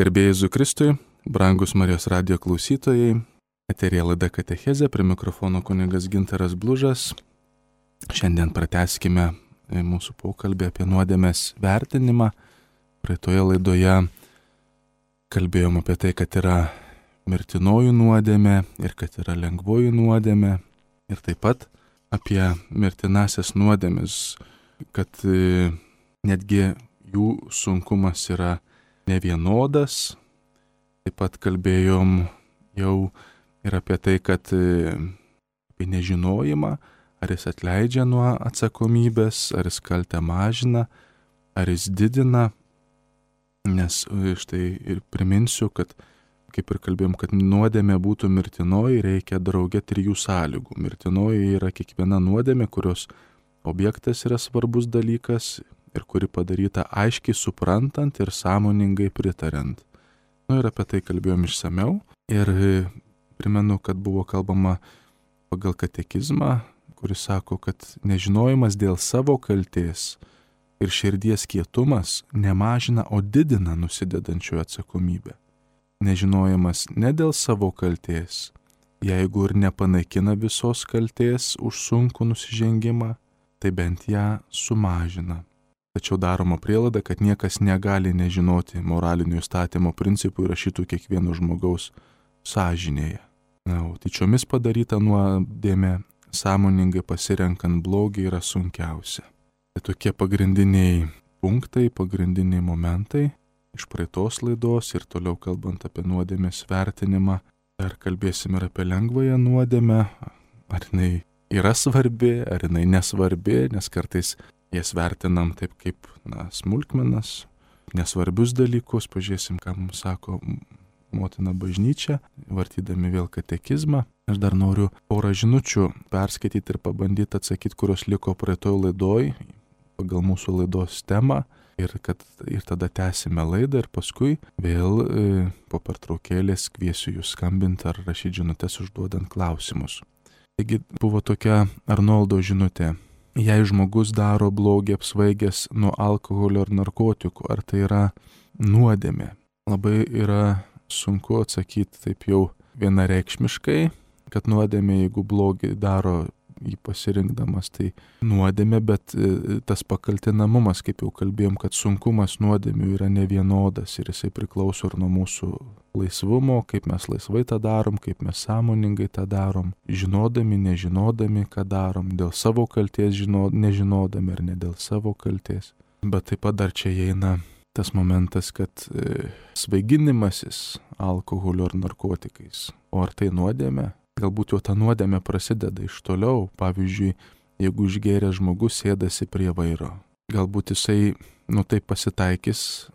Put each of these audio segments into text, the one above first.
Garbė Jėzui Kristui, brangus Marijos radijo klausytojai, eterija laida Katechezė, prie mikrofono kunigas Gintaras Blužas. Šiandien pratęskime mūsų pokalbį apie nuodėmės vertinimą. Praeitoje laidoje kalbėjom apie tai, kad yra mirtinoji nuodėmė ir kad yra lengvoji nuodėmė. Ir taip pat apie mirtinasias nuodėmes, kad netgi jų sunkumas yra nevienodas. Taip pat kalbėjom jau ir apie tai, kad apie nežinojimą, ar jis atleidžia nuo atsakomybės, ar jis kaltę mažina, ar jis didina. Nes štai ir priminsiu, kad kaip ir kalbėjom, kad nuodėmė būtų mirtinoji, reikia drauge 3 sąlygų. Mirtinoji yra kiekviena nuodėmė, kurios objektas yra svarbus dalykas ir kuri padaryta aiškiai suprantant ir sąmoningai pritariant. Ir apie tai kalbėjom išsameu. Ir primenu, kad buvo kalbama pagal katekizmą, kuris sako, kad nežinojimas dėl savo kaltės ir širdies kietumas nemažina, o didina nusidedančiojo atsakomybę. Nežinojimas ne dėl savo kaltės, jeigu ir nepanaikina visos kaltės už sunkų nusižengimą, tai bent ją sumažina. Tačiau daroma prielaida, kad niekas negali nežinoti moralinių įstatymo principų įrašytų kiekvieno žmogaus sąžinėje. O tyčiomis padaryta nuodėmė, sąmoningai pasirenkant blogį, yra sunkiausia. Tai tokie pagrindiniai punktai, pagrindiniai momentai iš praeitos laidos ir toliau kalbant apie nuodėmės vertinimą. Dar kalbėsime ir apie lengvąją nuodėmę, ar jinai yra svarbi, ar jinai nesvarbi, nes kartais jas vertinam taip kaip smulkmenas, nesvarbius dalykus. Pažiūrėsim, ką mums sako motina bažnyčia, vartydami vėl katekizmą. Aš dar noriu porą žinučių perskaityti ir pabandyti atsakyti, kurios liko praeitoj laidoj, pagal mūsų laidos temą. Ir tada tęsime laidą ir paskui vėl po pertraukėlės kviesiu jūs skambinti ar rašyti žinutes užduodant klausimus. Taigi buvo tokia Arnoldo žinutė. Jei žmogus daro blogį apsvaigęs nuo alkoholio ar narkotikų, ar tai yra nuodėmė? Labai yra sunku atsakyti taip jau vienareikšmiškai, kad nuodėmė, jeigu blogį daro jį pasirinkdamas, tai nuodėmė, bet tas pakaltinamumas, kaip jau kalbėjom, kad sunkumas nuodėmių yra nevienodas ir jisai priklauso ir nuo mūsų laisvumo, kaip mes laisvai tą darom, kaip mes sąmoningai tą darom, žinodami, nežinodami, ką darom, dėl savo kalties nežinodami ar ne dėl savo kalties. Bet taip pat dar čia įeina tas momentas, kad svaiginimasis alkoholiu ar narkotikais, o ar tai nuodėmė? Galbūt jau ta nuodėmė prasideda iš toliau. Pavyzdžiui, jeigu išgėręs žmogus sėdasi prie vairo, galbūt jisai, taip pasitaikys,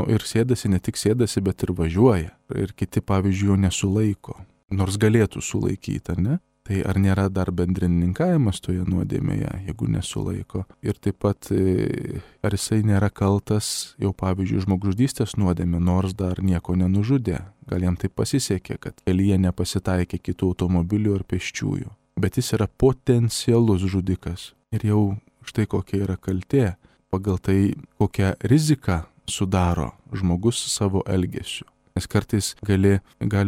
ir sėdasi, ne tik sėdasi, bet ir važiuoja. Ir kiti, pavyzdžiui, jo nesulaiko, nors galėtų sulaikyti, ar ne? Tai ar nėra dar bendrininkavimas toje nuodėmėje, jeigu nesulaiko? Ir taip pat, ar jisai nėra kaltas, jau pavyzdžiui, žmogžudystės nuodėmė, nors dar nieko nenužudė. Gal jam taip pasisekė, kad kelyje nepasitaikė kitų automobilių ar pėsčiųjų. Bet jis yra potencialus žudikas. Ir jau štai kokia yra kaltė, pagal tai kokią riziką sudaro žmogus savo elgesiu. Nes kartais gali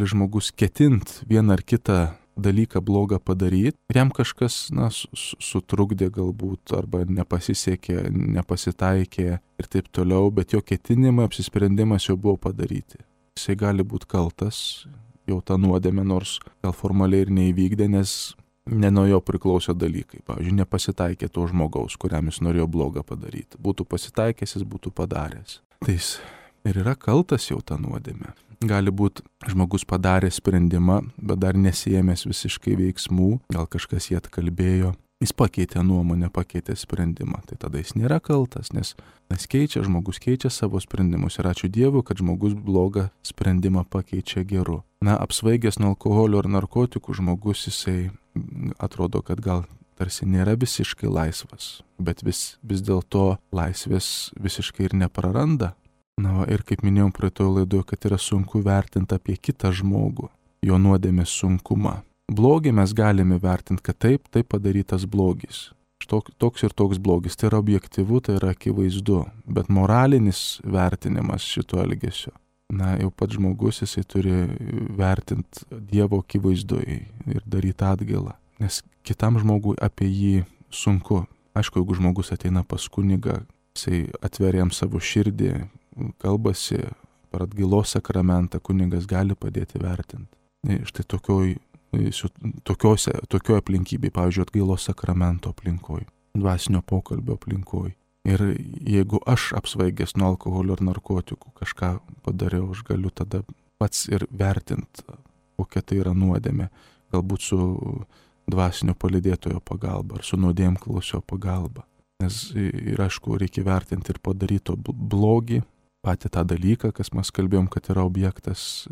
žmogus ketint vieną ar kitą dalyką blogą padaryti, ir jam kažkas sutrukdė galbūt, arba nepasisekė, nepasitaikė ir taip toliau, bet jo ketinimai, apsisprendimas jau buvo padaryti. Jisai gali būti kaltas, jau tą nuodėmę, nors gal formaliai ir neįvykdė, nes ne nuo jo priklauso dalykai. Pavyzdžiui, nepasitaikė to žmogaus, kuriam jis norėjo blogą padaryti. Būtų pasitaikęs, jis būtų padaręs. Tai jis ir yra kaltas jau tą nuodėmę. Gali būti žmogus padarė sprendimą, bet dar nesijėmęs visiškai veiksmų, gal kažkas jį atkalbėjo, jis pakeitė nuomonę, pakeitė sprendimą, tai tada jis nėra kaltas, nes žmogus keičia savo sprendimus ir ačiū Dievui, kad žmogus blogą sprendimą pakeičia geru. Apsvaigęs nuo alkoholio ar narkotikų žmogus, jisai atrodo, kad gal tarsi nėra visiškai laisvas, bet vis dėlto laisvės visiškai ir nepraranda. Ir kaip minėjom praeitoje laidoje, kad yra sunku vertinti apie kitą žmogų, jo nuodėmės sunkumą. Blogį mes galime vertinti, kad taip padarytas blogis. Toks ir toks blogis. Tai yra objektyvu, tai yra akivaizdu. Bet moralinis vertinimas šito elgesio jau pats žmogus jisai turi vertinti Dievo akivaizdoje ir daryti atgailą. Nes kitam žmogui apie jį sunku. Aišku, jeigu žmogus ateina pas kunigą, jisai atveria jam savo širdį, kalbasi per atgailos sakramentą, kunigas gali padėti vertinti. Štai tokioj aplinkybėje, pavyzdžiui, atgailos sakramento aplinkoj, dvasinio pokalbio aplinkoj. Ir jeigu aš apsvaigęs nuo alkoholio ar narkotikų kažką padariau, aš galiu tada pats ir vertinti, kokia tai yra nuodėmė, galbūt su dvasinio palydėtojo pagalba ar su nuodėmklausio pagalba. Nes ir aišku, reikia vertinti ir padaryto blogį, patį tą dalyką, kas mes kalbėjom, kad yra objektas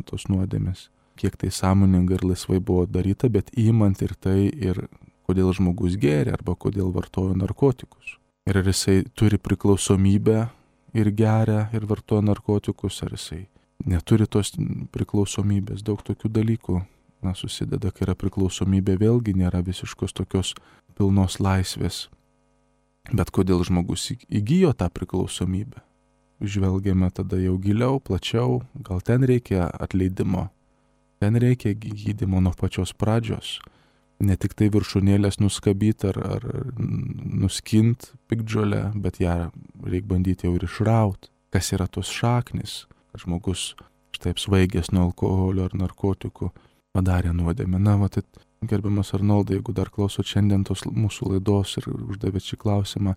tos nuodėmės. Kiek tai sąmoningai ir laisvai buvo daryta, bet įmant ir tai, ir kodėl žmogus gėrė arba kodėl vartojo narkotikus. Ir ar jisai turi priklausomybę ir geria ir vartoja narkotikus, ar jisai neturi tos priklausomybės. Daug tokių dalykų susideda, kai yra priklausomybė, vėlgi nėra visiškos tokios pilnos laisvės. Bet kodėl žmogus įgijo tą priklausomybę? Žvelgiame tada jau giliau, plačiau, gal ten reikia atleidimo. Ten reikia gydymo nuo pačios pradžios. Ne tik tai viršūnėlės nuskabyti ar nuskint piktžolę, bet ją reikia bandyti jau ir išrauti. Kas yra tos šaknis, kad žmogus štai apsvaigęs nuo alkoholio ar narkotikų padarė nuodėmę. Tai gerbiamas Arnoldai, jeigu dar klausot šiandien tos mūsų laidos ir uždavėt šį klausimą,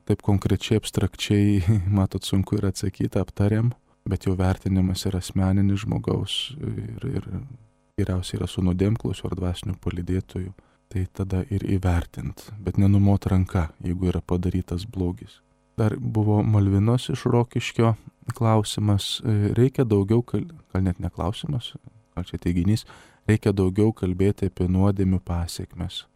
taip konkrečiai, abstrakčiai, matot, sunku ir atsakyti, aptarėm. Bet jau vertinimas yra asmeninis žmogaus ir geriausiai yra su nuodėmklausiu ar dvasiniu palydėtoju. Tai tada ir įvertint, bet nenumot ranka, jeigu yra padarytas blogis. Dar buvo Malvinos iš Rokiškio klausimas, reikia daugiau, gal net ne klausimas, gal čia teiginys, reikia daugiau kalbėti apie nuodėmių pasiekmes.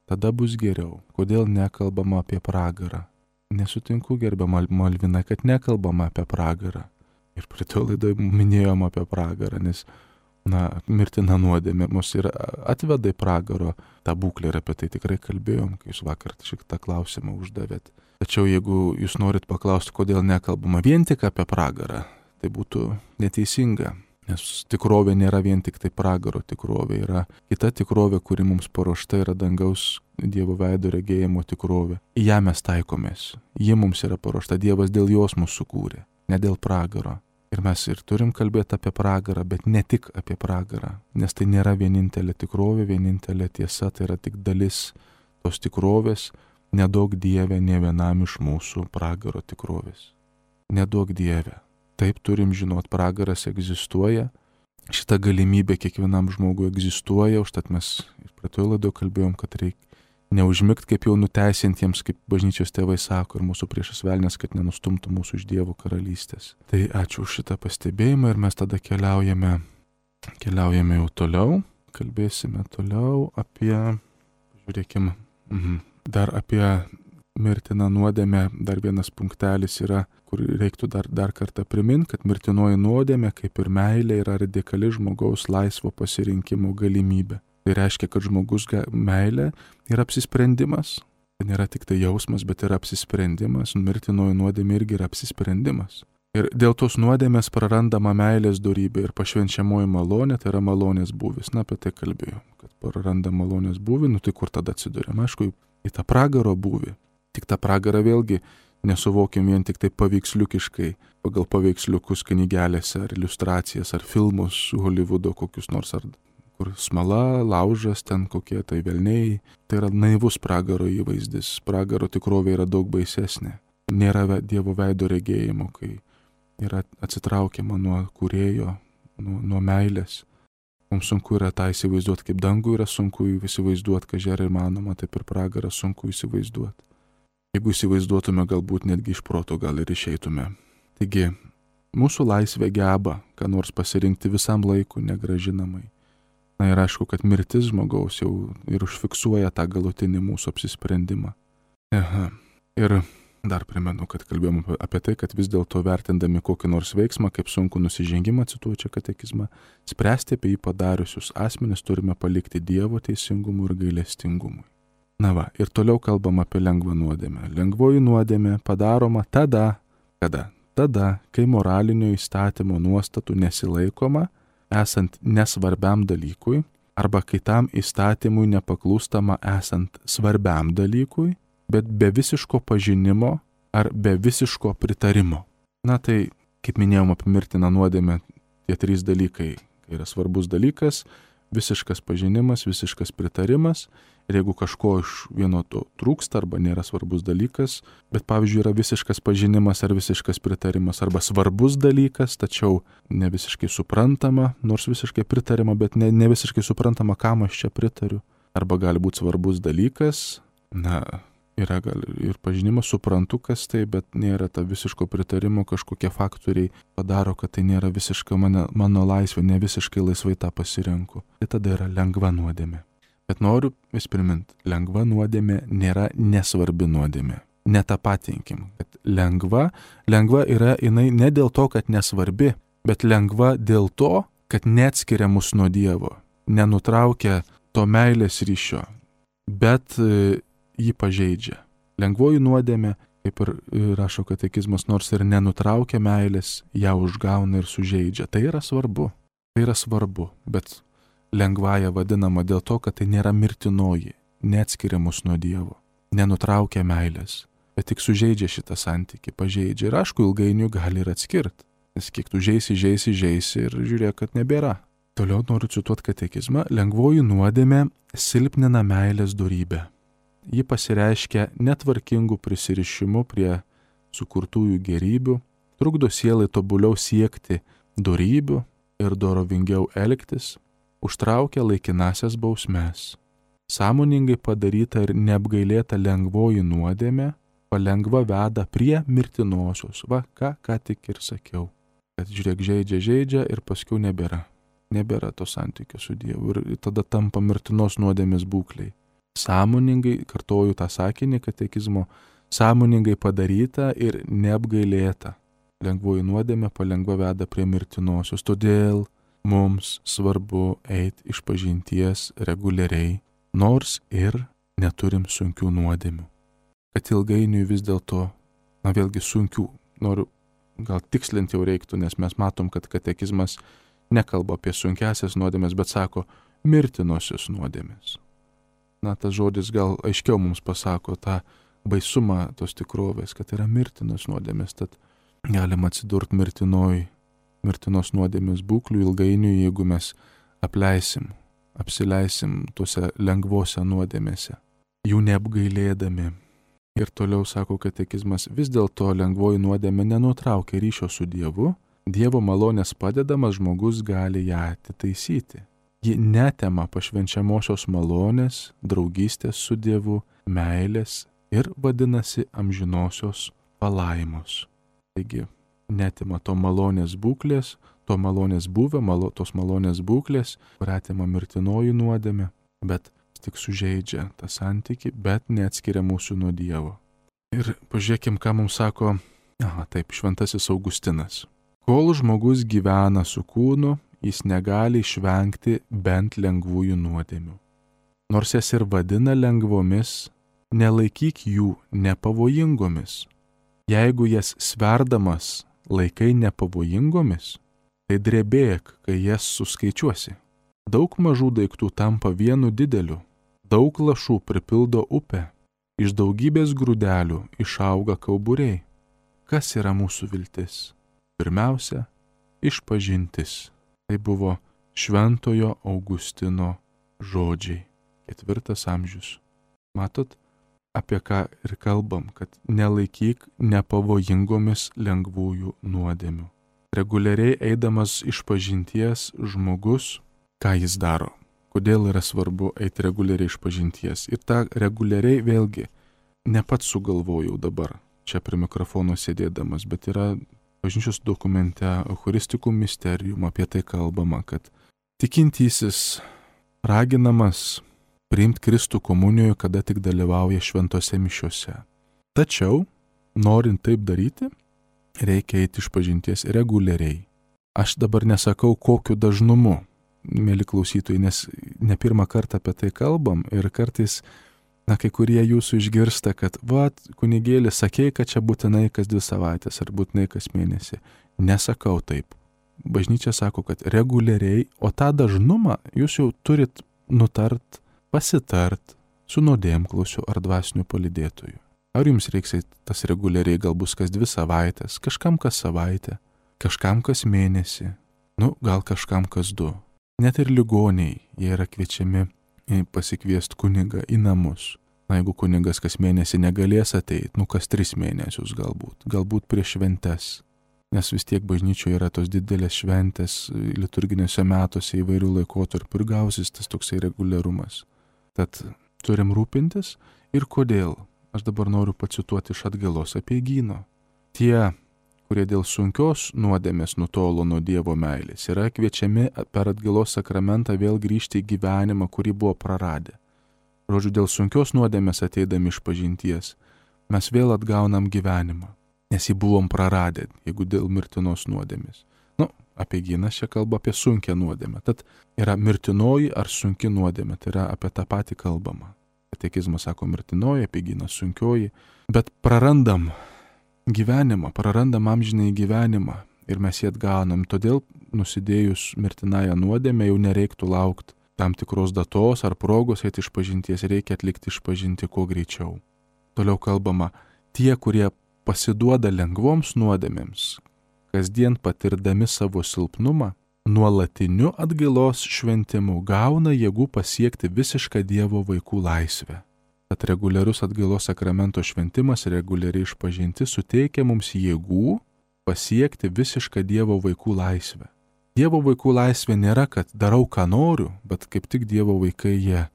Tada bus geriau. Kodėl nekalbama apie pragarą? Nesutinku, gerbiama Malvina, kad nekalbama apie pragarą. Ir prie to laidoje minėjom apie pragarą, nes, mirtina nuodėmė mus ir atveda į pragaro tą būklę ir apie tai tikrai kalbėjom, kai jūs vakar šitą klausimą uždavėt. Tačiau jeigu jūs norit paklausti, kodėl nekalbama vien tik apie pragarą, tai būtų neteisinga, nes tikrovė nėra vien tik tai pragaro tikrovė, yra kita tikrovė, kuri mums paruošta, yra dangaus Dievo veido regėjimo tikrovė. Į ją mes taikomės, ji mums yra paruošta, Dievas dėl jos mūsų sukūrė. Ne dėl pragaro. Ir mes ir turim kalbėti apie pragarą, bet ne tik apie pragarą, nes tai nėra vienintelė tikrovė, vienintelė tiesa, tai yra tik dalis tos tikrovės, nedaug Dieve ne vienam iš mūsų pragaro tikrovės. Nedaug Dieve. Taip turim žinot, pragaras egzistuoja, šita galimybė kiekvienam žmogui egzistuoja, užtat mes ir praeitoje laidoje kalbėjom, kad reikia neužmigt kaip jau nuteisintiems, kaip bažnyčios tėvai sako, ir mūsų priešas velnias, kad nenustumtų mūsų iš Dievo karalystės. Tai ačiū už šitą pastebėjimą ir mes tada keliaujame jau toliau, kalbėsime toliau apie, žiūrėkime, dar apie mirtiną nuodėmę, dar vienas punktelis yra, kur reiktų dar kartą priminti, kad mirtinoji nuodėmė, kaip ir meilė, yra radikali žmogaus laisvo pasirinkimo galimybė. Tai reiškia, kad žmogus meilė yra apsisprendimas. Tai nėra tik tai jausmas, bet yra apsisprendimas. Mirtinoji nuodėmė irgi yra apsisprendimas. Ir dėl tos nuodėmės prarandama meilės dorybė ir pašvenčiamoji malonė, tai yra malonės būvis. Apie tai kalbėjom, kad praranda malonės būvį, tai kur tada atsiduriam? Aišku, į tą pragaro būvį. Tik tą pragarą vėlgi nesuvokim vien tik tai paveiksliukiškai, pagal paveiksliukus knygelėse ar iliustracijas ar filmus Holivudo kokius nors ar kur smala, laužas, ten kokie tai velniai. Tai yra naivus pragaro įvaizdis. Pragaro tikrovė yra daug baisesnė. Nėra Dievo veido regėjimo, kai yra atsitraukiama nuo kūrėjo, nuo meilės. Mums sunku yra tą įsivaizduoti, kaip dangų yra sunku įsivaizduoti, kad žer įmanoma, taip ir pragarą sunku įsivaizduoti. Jeigu įsivaizduotume, galbūt netgi iš proto gal ir išeitume. Taigi, mūsų laisvė geba, ką nors pasirinkti visam laiku negražinamai. Ir aišku, kad mirtis žmogaus jau ir užfiksuoja tą galutinį mūsų apsisprendimą. Ir dar primenu, kad kalbėjom apie tai, kad vis dėlto vertindami kokį nors veiksmą, kaip sunku nusižengimą, cituoju čia katekizmą, spręsti apie jį padariusius asmenis turime palikti Dievo teisingumui ir gailestingumui. Ir toliau kalbam apie lengvą nuodėmę. Lengvoji nuodėmė padaroma tada, kada tada, kai moralinio įstatymo nuostatų nesilaikoma, esant nesvarbiam dalykui, arba kai tam įstatymui nepaklūstama esant svarbiam dalykui, bet be visiško pažinimo ar be visiško pritarimo. Na tai, kaip minėjom apie mirtiną nuodėmę, tie 3 dalykai yra svarbus dalykas, visiškas pažinimas, visiškas pritarimas. Ir jeigu kažko iš vieno to trūksta arba nėra svarbus dalykas, bet pavyzdžiui yra visiškas pažinimas ar visiškas pritarimas arba svarbus dalykas, tačiau ne visiškai suprantama, nors visiškai pritarima, bet ne visiškai suprantama, kam aš čia pritariu. Arba gali būti svarbus dalykas, yra gal ir pažinimas, suprantu, kas tai, bet nėra ta visiško pritarimo, kažkokie faktoriai padaro, kad tai nėra visiškai mano laisvė, ne visiškai laisvai tą pasirenku. Tai tada yra lengva nuodėmė. Bet noriu vis priminti, lengva nuodėmė nėra nesvarbi nuodėmė. Netapatinkim, kad lengva yra jinai ne dėl to, kad nesvarbi, bet lengva dėl to, kad neatskiria mus nuo Dievo, nenutraukia to meilės ryšio, bet jį pažeidžia. Lengvoji nuodėmė, kaip ir rašo katekizmas, nors ir nenutraukia meilės, ją užgauna ir sužeidžia. Tai yra svarbu, bet lengvąja vadinama dėl to, kad tai nėra mirtinoji, neatskiria mus nuo Dievo, nenutraukia meilės, bet tik sužeidžia šitą santykį, pažeidžia ir aišku, ilgainiui gali ir atskirti, nes kiek tu žeisi ir žiūrėk, kad nebėra. Toliau noriu cituoti katekizmą, lengvoji nuodėmė silpnina meilės dorybę. Ji pasireiškia netvarkingų prisirišimų prie sukurtųjų gerybių, trukdo sielai tobuliau siekti dorybių ir dorovingiau elgtis, užtraukia laikinasias bausmes. Sąmoningai padaryta ir neapgailėta lengvoji nuodėmė palengva veda prie mirtinosios. Ką tik ir sakiau, kad žiūrėk, žaidžia ir paskui nebėra to santykio su Dievu ir tada tampa mirtinos nuodėmės būkliai. Sąmoningai, kartoju tą sakinį katekizmo, sąmoningai padaryta ir neapgailėta lengvoji nuodėmė palengva veda prie mirtinosios. Todėl mums svarbu eiti išpažinties reguliariai, nors ir neturim sunkių nuodėmių. Kad ilgainiui vis dėlto, vėlgi sunkių, noriu gal tikslinti jau reiktų, nes mes matom, kad katekizmas nekalba apie sunkiasias nuodėmės, bet sako mirtinosios nuodėmės. Tas žodis gal aiškiau mums pasako tą baisumą tos tikrovės, kad yra mirtinos nuodėmės, tad galima atsidurti mirtinos nuodėmės būklių ilgainiui, jeigu mes apsileisim tuose lengvose nuodėmėse, jų neapgailėdami. Ir toliau sako katekizmas, vis dėlto lengvoji nuodėmė nenutraukia ryšio su Dievu, Dievo malonės padedamas žmogus gali ją atitaisyti. Ji netema pašvenčiamosios malonės, draugystės su Dievu, meilės ir vadinasi amžinosios palaimos. Taigi, netima to malonės būklės, to malonės buvę, tos malonės būklės, kurią atima mirtinoji nuodėmė, bet tik sužeidžia tą santykį, bet neatskiria mūsų nuo Dievo. Ir pažiūrėkim, ką mums sako, šventasis Augustinas. Kol žmogus gyvena su kūnu, jis negali išvengti bent lengvųjų nuodėmių. Nors jas ir vadina lengvomis, nelaikyk jų nepavojingomis. Jeigu jas sverdamas laikai nepavojingomis, tai drebėk, kai jas suskaičiuosi. Daug mažų daiktų tampa vienu dideliu, daug lašų pripildo upę, iš daugybės grūdelių išauga kauburiai. Kas yra mūsų viltis? Pirmiausia, išpažintis. Tai buvo šventojo Augustino žodžiai, 4 amžius. Matot, apie ką ir kalbam, kad nelaikyk nepavojingomis lengvųjų nuodėmių. Reguliariai eidamas išpažinties žmogus, ką jis daro? Kodėl yra svarbu eiti reguliariai išpažinties? Ir tą reguliariai vėlgi ne pats sugalvojau dabar, čia prie mikrofono sėdėdamas, bet yra bažnyčios dokumente Eucharistikų Mysterium apie tai kalbama, kad tikintysis raginamas priimti Kristų komunijoje, kada tik dalyvauja šventose mišiose. Tačiau, norint taip daryti, reikia eiti išpažinties reguliariai. Aš dabar nesakau, kokiu dažnumu, mėly klausytojai, nes ne pirmą kartą apie tai kalbam ir kartais Na, kai kurie jūsų išgirsta, kad, kunigėli, sakei, kad čia būtinai kas 2 savaitės ar būtinai kas mėnesį. Nesakau taip. Bažnyčia sako, kad reguliariai, o tą dažnumą jūs jau turit nutart, pasitart su nuodėmklausiu ar dvasiniu palydėtoju. Ar jums reiks tas reguliariai, gal bus kas 2 savaitės, kažkam kas savaitę, kažkam kas mėnesį, gal kažkam kas 2. Net ir ligoniai, jie yra kviečiami pasikviesti kunigą į namus. Na, jeigu kunigas kas mėnesį negalės ateiti, kas 3 mėnesius galbūt prieš šventes. Nes vis tiek bažnyčioje yra tos didelės šventės liturginėse metuose įvairių laikotarpių ir gausis tas toksai reguliarumas. Tad turim rūpintis ir kodėl. Aš dabar noriu pacituoti iš Atgailos apeigyno. Tie, kurie dėl sunkios nuodėmės nutolo nuo Dievo meilės, yra kviečiami per Atgailos sakramentą vėl grįžti į gyvenimą, kurį buvo praradę. Žodžiu, dėl sunkios nuodėmės ateidami iš pažinties, mes vėl atgaunam gyvenimą, nes jį buvom praradę, jeigu dėl mirtinos nuodėmės. Apeigynas čia kalba apie sunkią nuodėmę. Tad yra mirtinoji ar sunki nuodėmė, tai yra apie tą patį kalbama. Katekizmas sako mirtinoji, apeigynas sunkioji, bet prarandam gyvenimą, prarandam amžinąjį gyvenimą ir mes jį atgaunam. Todėl nusidėjus mirtinąją nuodėmę jau nereiktų laukti tam tikros datos ar progos eiti išpažinties, reikia atlikti išpažinti kuo greičiau. Toliau kalbama, tie, kurie pasiduoda lengvoms nuodėmėms, kasdien patirdami savo silpnumą, nuolatiniu atgailos šventimu gauna jėgų pasiekti visišką Dievo vaikų laisvę. Tad reguliarus atgailos sakramento šventimas, reguliariai išpažinti suteikia mums jėgų pasiekti visišką Dievo vaikų laisvę. Dievo vaikų laisvė nėra, kad darau, ką noriu, bet kaip tik Dievo vaikai jie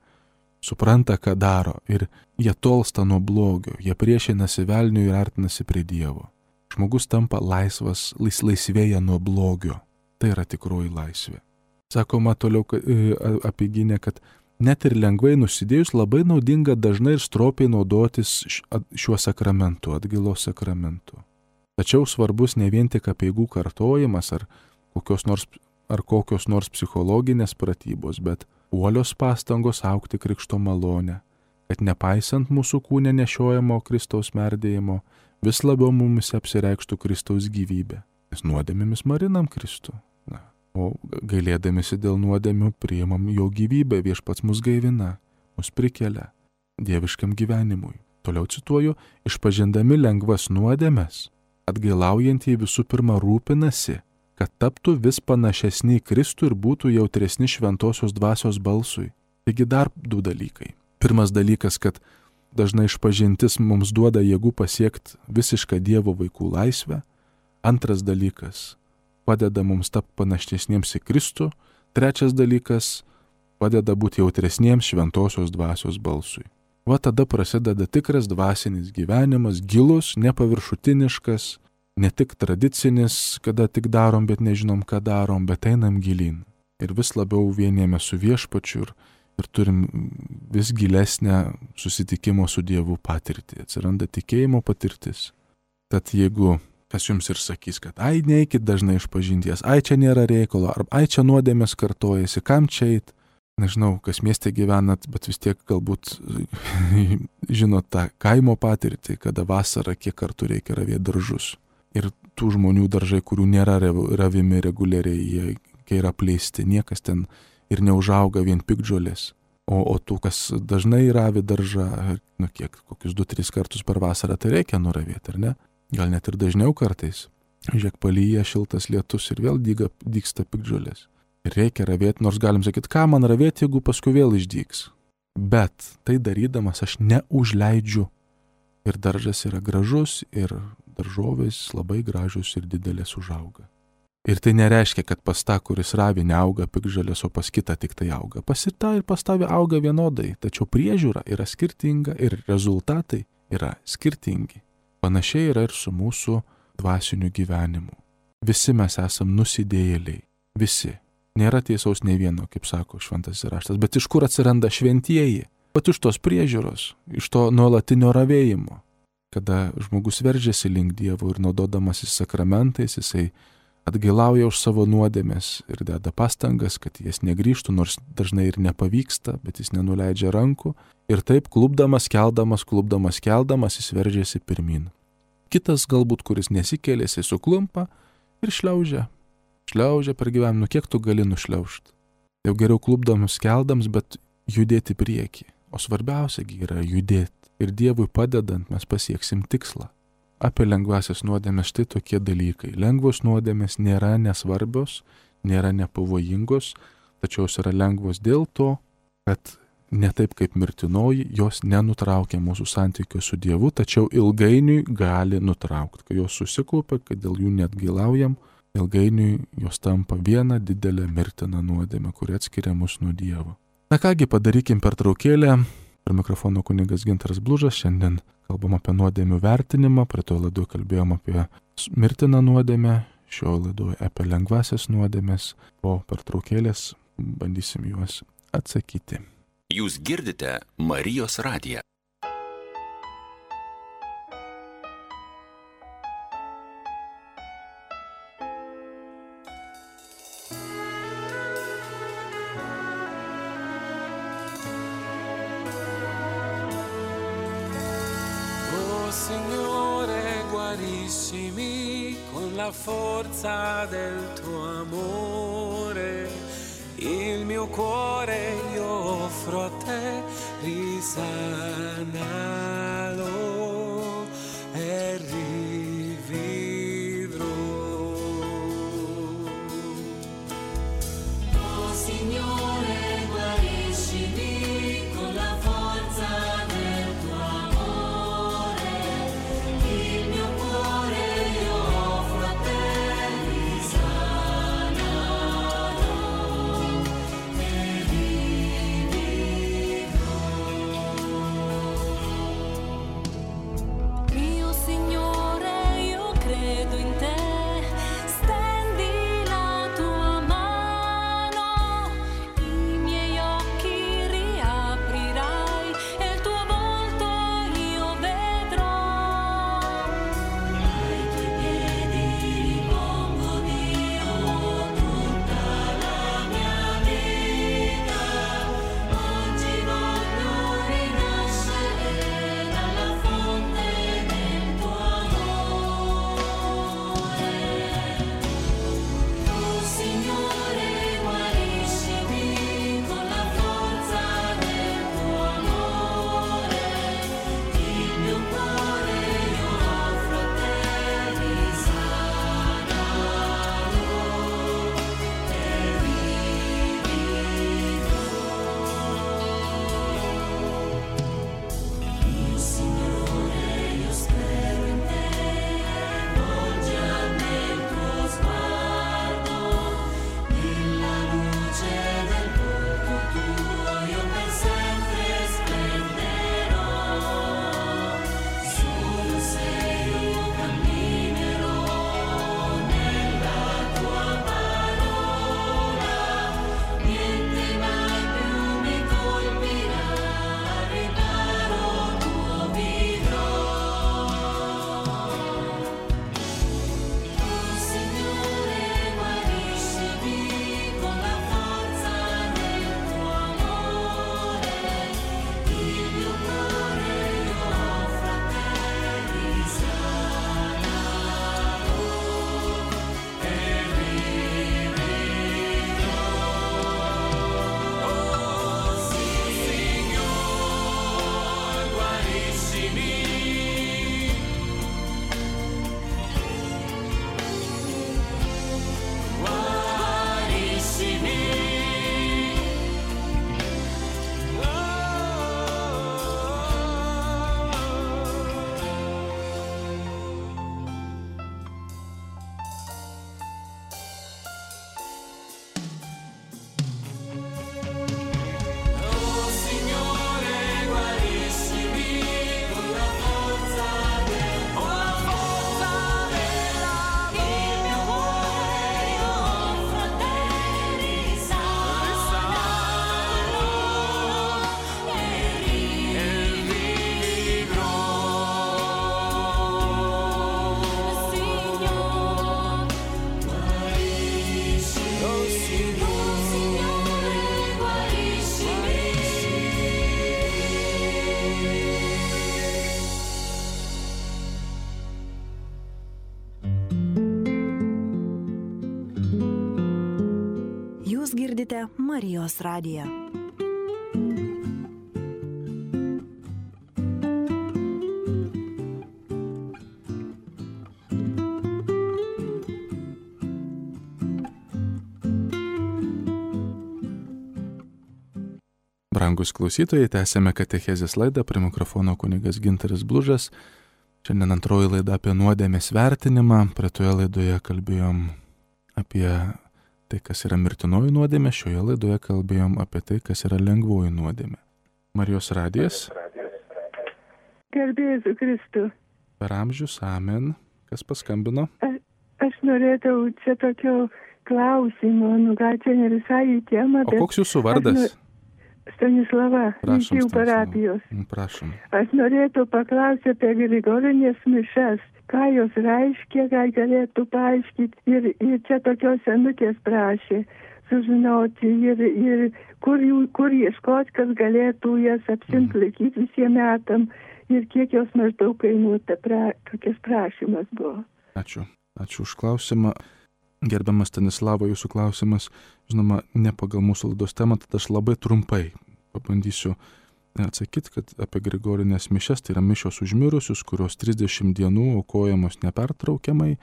supranta, ką daro ir jie tolsta nuo blogio, jie priešinasi velniui ir artinasi prie Dievo. Žmogus tampa laisvas, laisvėja nuo blogio. Tai yra tikroji laisvė. Sakoma toliau apeigyne, kad net ir lengvai nusidėjus labai naudinga dažnai ir stropiai naudotis šiuo sakramentu, atgailos sakramentu. Tačiau svarbus ne vien tik apeigų kartojimas ar kokios nors psichologinės pratybos, bet uolios pastangos augti krikšto malonę, kad nepaisant mūsų kūne nešiojamo Kristaus merdėjimo, vis labiau mumis apsireikštų Kristaus gyvybė. Nes nuodėmėmis marinam Kristų. O gailėdamisi dėl nuodėmių priimam jo gyvybę, viešpats mus gaivina, mus prikelia dieviškam gyvenimui. Toliau cituoju, išpažindami lengvas nuodėmes, atgailaujantieji visų pirma rūpinasi, kad taptų vis panašesni į Kristų ir būtų jautresni šventosios dvasios balsui. Taigi dar 2 dalykai. Pirmas dalykas, kad dažnai išpažintis mums duoda jėgų pasiekti visišką Dievo vaikų laisvę. Antras dalykas, padeda mums tapti panašesniems į Kristų. Trečias dalykas, padeda būti jautresniems šventosios dvasios balsui. Tada prasideda tikras dvasinis gyvenimas, gilus, nepaviršutiniškas, ne tik tradicinis, kada tik darom, bet nežinom, ką darom, bet einam gilyn. Ir vis labiau vienijame su viešpačiu ir turim vis gilesnę susitikimo su Dievu patirtį. Atsiranda tikėjimo patirtis. Tad jeigu kas jums ir sakys, kad neikit dažnai išpažinties, čia nėra reikalo, ar čia nuodėmės kartojasi, kam čia eit? Nežinau, kas mieste gyvenat, bet vis tiek galbūt žinot tą kaimo patirtį, kada vasarą kiek kartų reikia ravėti daržus. Ir tų žmonių daržai, kurių nėra ravimi reguliariai, jie yra apleisti, niekas ten ir neužauga vien piktžolės. O tų, kas dažnai ravi daržą, kokius 2-3 kartus per vasarą, tai reikia nuravėti, ar ne? Gal net ir dažniau kartais. Žiūrėk, palyja šiltas lietus ir vėl dygsta piktžolės. Ir reikia ravėti, nors galim sakyti, ką man ravėti, jeigu paskui vėl išdygs. Bet tai darydamas aš neužleidžiu. Ir daržas yra gražus, ir daržovės labai gražus ir didelės užauga. Ir tai nereiškia, kad pas tą, kuris ravi, neauga piktžolės, o pas kitą tik tai auga. Pas tą ir pas tavį auga vienodai, tačiau priežiūra yra skirtinga ir rezultatai yra skirtingi. Panašiai yra ir su mūsų dvasiniu gyvenimu. Visi mes esam nusidėjėliai. Visi. Nėra tiesaus nei vieno, kaip sako šventasis raštas. Bet iš kur atsiranda šventieji? Pat iš tos priežiūros, iš to nuolatinio ravėjimo. Kada žmogus veržiasi link Dievo ir naudodamasis sakramentais, jisai atgailauja už savo nuodėmes ir deda pastangas, kad jas negrįžtų, nors dažnai ir nepavyksta, bet jis nenuleidžia rankų ir taip klupdamas, keldamas, jis veržiasi pirmin. Kitas galbūt, kuris nesikėlė, jis suklumpa ir šliaužia per gyvenimą, kiek tu gali nušliaužti. Jau geriau klupdamas, keldams, bet judėti prieki. O svarbiausiagi yra judėti. Ir Dievui padedant mes pasieksim tikslą. Apie lengvasias nuodėmes štai tokie dalykai. Lengvos nuodėmes nėra nesvarbios, nėra nepavojingos, tačiau jos yra lengvos dėl to, kad ne taip kaip mirtinoji, jos nenutraukia mūsų santykių su Dievu, tačiau ilgainiui gali nutraukti. Kai jos susikaupia, kad dėl jų neatgailaujam, ilgainiui jos tampa viena didelė mirtina nuodėmė, kuri atskiria mus nuo Dievo. Na kągi, padarykim pertraukėlę. Prie mikrofono kunigas Gintaras Blužas. Šiandien kalbam apie nuodėmių vertinimą. Prie to laidoje kalbėjom apie mirtiną nuodėmę. Šio laidoje apie lengvasias nuodėmės. Po pertraukėlės bandysim juos atsakyti. Jūs girdite Marijos radiją. Signore, guariscimi con la forza del tuo amore, il mio cuore io offro a te, risanalo e rivivrò. Oh Signore, guariscimi con la forza del tuo amore. Jūs girdite Marijos radiją. Brangus klausytojai, tęsėme katechezės laidą, prie mikrofono kunigas Gintaras Blužas. Šiandien antroji laida apie nuodėmės vertinimą. Praeitoje laidoje kalbėjom apie tai, kas yra mirtinoji nuodėmė, šioje laidoje kalbėjom apie tai, kas yra lengvoji nuodėmė. Marijos radijas. Garbėsiu Kristų. Per amžius, amen. Kas paskambino? Aš norėčiau čia tokio klausimo, gal čia ne visai į temą. O koks jūsų vardas? Stanislava, Ryčių parapijos. Prašom. Aš norėčiau paklausyti apie Grigorinės mišes. Ką jos reiškia, ką galėtų paaiškinti. Ir čia tokios senutės prašė sužinoti. Ir kur ieškoti, kas galėtų jas apsimplaikyti visiems metam. Ir kiek jos maždaug kainuota. Tokias prašymas buvo. Ačiū. Ačiū už klausimą. Gerbiamas Stanislava, jūsų klausimas, žinoma, ne pagal mūsų laidos temą, tad aš labai trumpai pabandysiu atsakyti, kad apie Grigorinės mišias, tai yra mišios už mirusius, kurios 30 dienų aukojamos nepertraukiamai.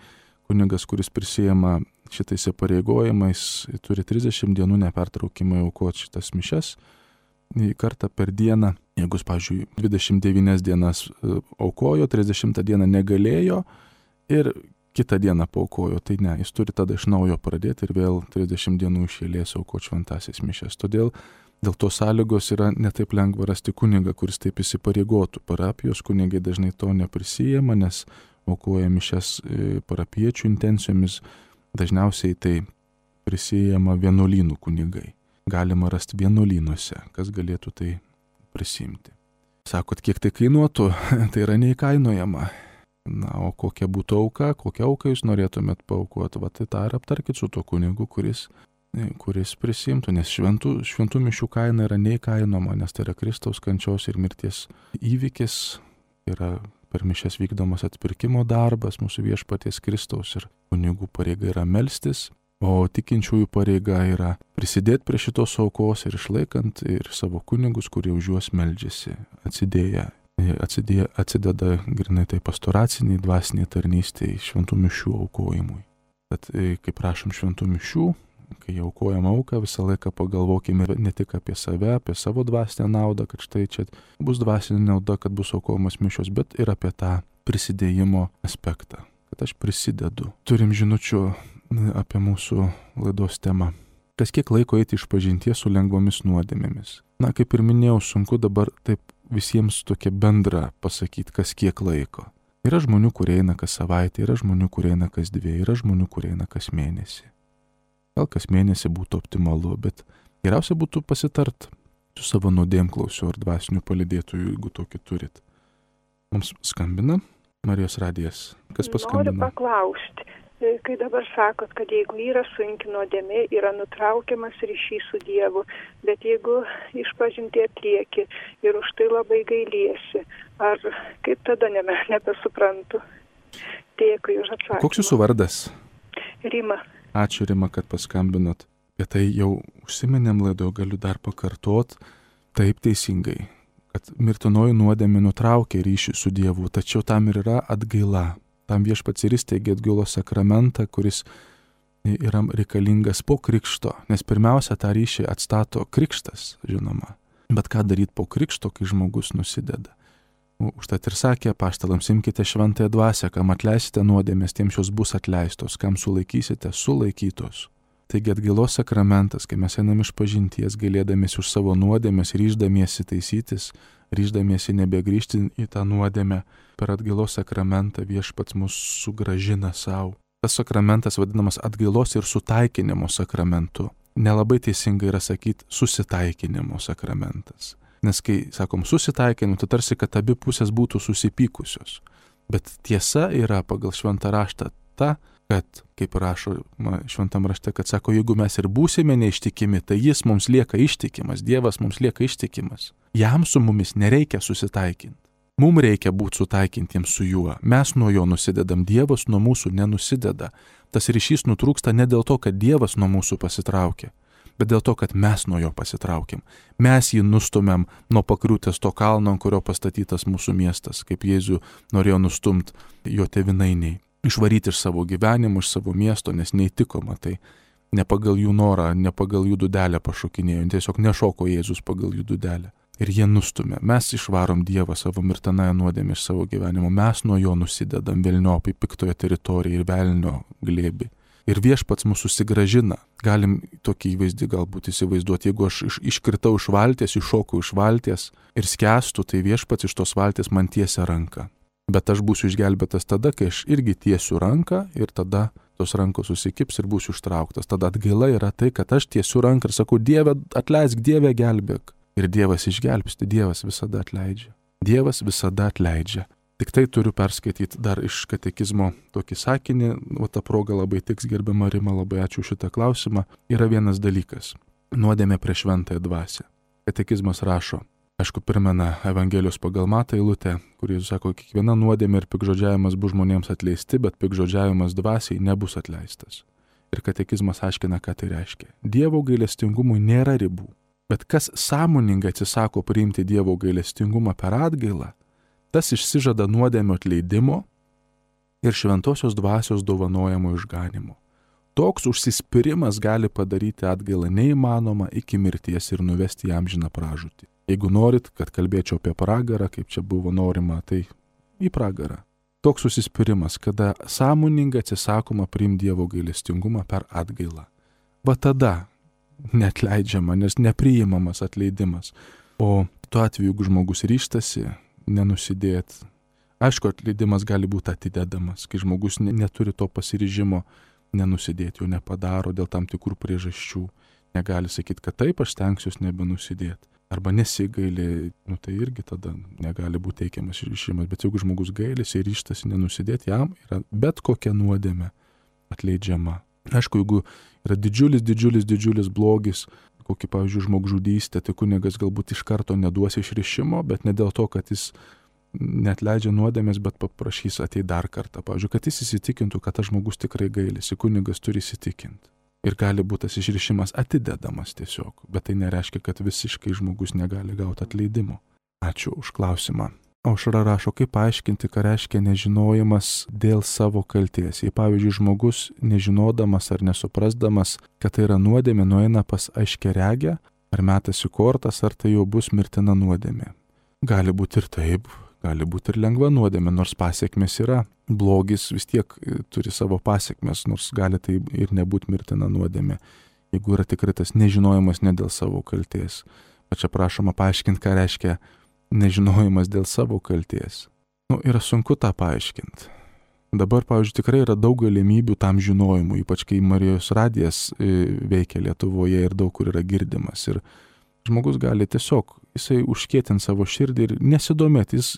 Kunigas, kuris prisijama šitais įpareigojimais, turi 30 dienų nepertraukimai aukoti šitas mišias. Kartą per dieną, jeigu, pavyzdžiui, 29 dienas aukojo, 30 dieną negalėjo ir kitą dieną paaukojo, tai ne, jis turi tada iš naujo pradėti ir vėl 30 dienų iš eilės aukoti šventąsias mišias. Todėl dėl to sąlygos yra netaip lengva rasti kunigą, kuris taip įsipareigotų. Parapijos kunigai dažnai to neprisijama, nes aukoja mišias parapiečių intencijomis, dažniausiai tai prisijama vienuolynų kunigai. Galima rasti vienuolynuose, kas galėtų tai prisimti. Sakot, kiek tai kainuotų, tai yra neįkainojama. Na, o kokia būtų auka, kokią auką jūs norėtumėt paaukoti, va tai tą ir aptarkit su tuo kunigu, kuris prisimtų, nes šventų mišių kaina yra neįkainoma, nes tai yra Kristaus kančios ir mirties įvykis, yra per mišias vykdomas atpirkimo darbas mūsų viešpaties Kristaus ir kunigų pareiga yra melstis, o tikinčiųjų pareiga yra prisidėti prie šitos aukos ir išlaikant ir savo kunigus, kurie už juos meldžiasi, atsideda grinai tai pastoraciniai, dvasiniai tarnystėj šventų mišių aukojimui. Bet kai prašom šventų mišių, kai aukojam auką, visą laiką pagalvokime ne tik apie save, apie savo dvasinę naudą, kad štai čia bus dvasinė nauda, kad bus aukojamas mišios, bet ir apie tą prisidėjimo aspektą, kad aš prisidedu. Turim žinučių apie mūsų laidos temą. Kas kiek laiko eiti išpažinties su lengvomis nuodėmėmis? Na, kaip ir minėjau, sunku dabar taip visiems tokia bendra pasakyti, kas kiek laiko. Yra žmonių, kurie eina kas savaitę, yra žmonių, kurie eina kas 2, yra žmonių, kurie eina kas mėnesį. Gal kas mėnesį būtų optimalu, bet geriausia būtų pasitart su savo nuodėmklausiu ar dvasiniu palydėtoju, jeigu tokį turit. Mums skambina Marijos radijas. Kas paskambina? Noriu paklausti. Kai dabar sakot, kad jeigu yra sunki nuodėmė, yra nutraukiamas ryšys su Dievu, bet jeigu išpažinti atlieki ir už tai labai gailiesi, ar kaip tada nebesuprantu? Dėkui už atsakymą. Koks jūsų vardas? Rima. Ačiū, Rima, kad paskambinot. Bet tai jau užsiminėm laidoje, galiu dar pakartot taip teisingai, kad mirtinoji nuodėmė nutraukia ryšį su Dievu, tačiau tam ir yra atgaila. Tam viešpats ir įsteigė atgailos sakramentą, kuris yra reikalingas po krikšto, nes pirmiausia tą ryšį atstato krikštas, žinoma. Bet ką daryti po krikšto, kai žmogus nusideda? Užtat ir sakė apaštalams, imkite šventąją dvasią, kam atleisite nuodėmės, tiems jos bus atleistos, kam sulaikysite, sulaikytos. Taigi atgailos sakramentas, kai mes einam išpažinties, gailėdamiesi už savo nuodėmės, ryždamiesi taisytis, ryždamiesi nebegrįžti į tą nuodėmę, per atgailos sakramentą viešpats mus sugrąžina savo. Tas sakramentas vadinamas atgailos ir sutaikinimo sakramentu. Nelabai teisingai yra sakyti susitaikinimo sakramentas. Nes kai sakom susitaikinimu, tai tarsi, kad abi pusės būtų susipykusios. Bet tiesa yra pagal šventą raštą ta, kad, kaip rašo šventam rašte, kad sako, jeigu mes ir būsime neištikimi, tai jis mums lieka ištikimas, Dievas mums lieka ištikimas. Jam su mumis nereikia susitaikinti. Mums reikia būti sutaikintiems su juo. Mes nuo jo nusidedam, Dievas nuo mūsų nenusideda. Tas ryšys nutrūksta ne dėl to, kad Dievas nuo mūsų pasitraukia, bet dėl to, kad mes nuo jo pasitraukiam. Mes jį nustumėm nuo pakriūtės to kalno, ant kurio pastatytas mūsų miestas, kaip Jėzų norėjo nustumti jo tėvynainiai. Išvaryti iš savo gyvenimo, iš savo miesto, nes neįtiko, matai. Ne pagal jų norą, ne pagal jų dūdelę pašokinėjo, tiesiog nešoko Jėzus pagal jų dūdelę. Ir jie nustumė. Mes išvarom Dievą savo mirtinąją nuodėmę iš savo gyvenimo. Mes nuo jo nusidedam velniopai piktoje teritorijoje ir velnio glėbį. Ir viešpats mūsų susigrąžina. Galim tokį įvaizdį galbūt įsivaizduoti. Jeigu aš iškritau iš valties, iššokau iš valties ir skęstu, tai viešpats iš tos valties man tiesia ranką. Bet aš būsiu išgelbėtas tada, kai aš irgi tiesiu ranką ir tada tos rankos susikips ir būsiu ištrauktas. Tada atgaila yra tai, kad aš tiesiu ranką ir sakau, Dieve atleisk, Dieve gelbėk. Ir Dievas išgelbsti, Dievas visada atleidžia. Dievas visada atleidžia. Tik tai turiu perskaityti dar iš katekizmo tokį sakinį, o ta proga labai tiks, gerbiama Rima, labai ačiū šitą klausimą. Yra vienas dalykas - nuodėmė prieš šventąją dvasią. Katekizmas rašo, aišku, primena Evangelijos pagal Matą eilutę, kur Jėzus sako, kiekviena nuodėmė ir pikžodžiavimas bus žmonėms atleisti, bet pikžodžiavimas dvasiai nebus atleistas. Ir katekizmas aiškina, ką tai reiškia. Dievo gailestingumui nėra ribų. Bet kas sąmoningai atsisako priimti Dievo gailestingumą per atgailą, tas išsižada nuodėmio atleidimo ir šventosios dvasios dovanojamo išganimo. Toks užsispyrimas gali padaryti atgailą neįmanoma iki mirties ir nuvesti į amžiną pražūtį. Jeigu norit, kad kalbėčiau apie pragarą, kaip čia buvo norima, tai į pragarą. Toks užsispyrimas, kada sąmoningai atsisakoma priimti Dievo gailestingumą per atgailą. Va tada neatleidžiama, nes nepriimamas atleidimas. O tuo atveju, jeigu žmogus ryžtasi nenusidėti, aišku, atleidimas gali būti atidedamas, kai žmogus neturi to pasiryžimo nenusidėti, jo nepadaro dėl tam tikrų priežasčių. Negali sakyti, kad taip, aš stengsiuosi nebenusidėti. Arba nesigaili, tai irgi tada negali būti teikiamas išrišimas. Bet jeigu žmogus gailisi ir ryžtasi nenusidėti, jam yra bet kokia nuodėmė atleidžiama. Aišku, jeigu yra didžiulis blogis, kokį, pavyzdžiui, žmogžudystę, tai kunigas galbūt iš karto neduos išrišimo, bet ne dėl to, kad jis neatleidžia nuodėmės, bet paprašys ateiti dar kartą. Pavyzdžiui, kad jis įsitikintų, kad tas žmogus tikrai gailisi, kunigas turi įsitikinti. Ir gali būti tas išrišimas atidedamas tiesiog, bet tai nereiškia, kad visiškai žmogus negali gauti atleidimo. Ačiū už klausimą. Aušra rašo, kaip paaiškinti, ką reiškia nežinojimas dėl savo kalties. Jei, pavyzdžiui, žmogus nežinodamas ar nesuprasdamas, kad tai yra nuodėmė, nueina pas aiškiaregę, ar metasi kortas, ar tai jau bus mirtina nuodėmė. Gali būti ir taip, gali būti ir lengva nuodėmė, nors pasiekmes yra. Blogis vis tiek turi savo pasiekmes, nors gali tai ir nebūti mirtina nuodėmė, jeigu yra tikrai tas nežinojimas ne dėl savo kalties. O čia prašoma paaiškinti, ką reiškia nežinojimas dėl savo kalties. Yra sunku tą paaiškinti. Dabar, pavyzdžiui, tikrai yra daug galimybių tam žinojimui, ypač kai Marijos radijas veikia Lietuvoje ir daug kur yra girdimas. Ir žmogus gali tiesiog, jisai užkėtinti savo širdį ir nesidomėti, jis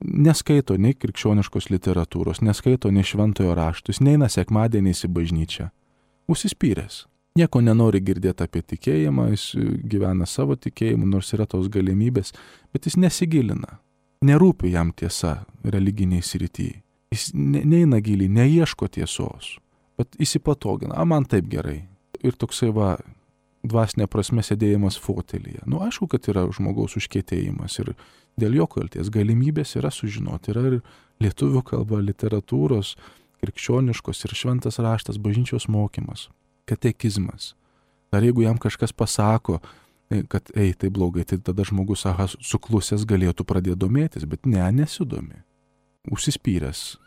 neskaito nei krikščioniškos literatūros, neskaito nei šventojo rašto, jis neina sekmadieniais į bažnyčią. Užsispyręs. Nieko nenori girdėti apie tikėjimą, jis gyvena savo tikėjimu, nors yra tos galimybės, bet jis nesigilina. Nerūpi jam tiesa religiniai srityje. Jis neina giliai, neieško tiesos, bet įsipatogina, man taip gerai. Ir toksai dvasinė prasme sėdėjimas fotelyje. Aišku, kad yra žmogaus užkietėjimas ir dėl jo kalties galimybės yra sužinoti. Yra ir lietuvių kalba, literatūros, krikščioniškos ir šventas raštas, bažnyčios mokymas, katekizmas. Dar jeigu jam kažkas pasako, kad tai blogai, tai tada žmogus suklusęs galėtų pradėti domėtis, bet nesidomi. Užsispyręs.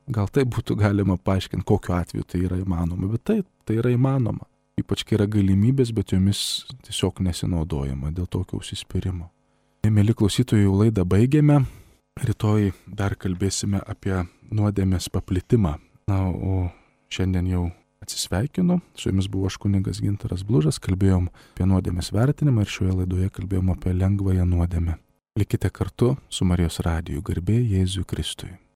Gal tai būtų galima paaiškinti, kokiu atveju tai yra įmanoma, bet tai yra įmanoma. Ypač kai yra galimybės, bet jomis tiesiog nesinaudojama dėl tokio užsispyrimo. Mėly klausytojai, jau laidą baigėme. Rytoj dar kalbėsime apie nuodėmės paplitimą. O šiandien jau atsisveikinu. Su jumis buvo aš kunigas Gintaras Blužas. Kalbėjom apie nuodėmės vertinimą ir šioje laidoje kalbėjom apie lengvąją nuodėmę. Likite kartu su Marijos radiju. Garbė Jėzui Kristui.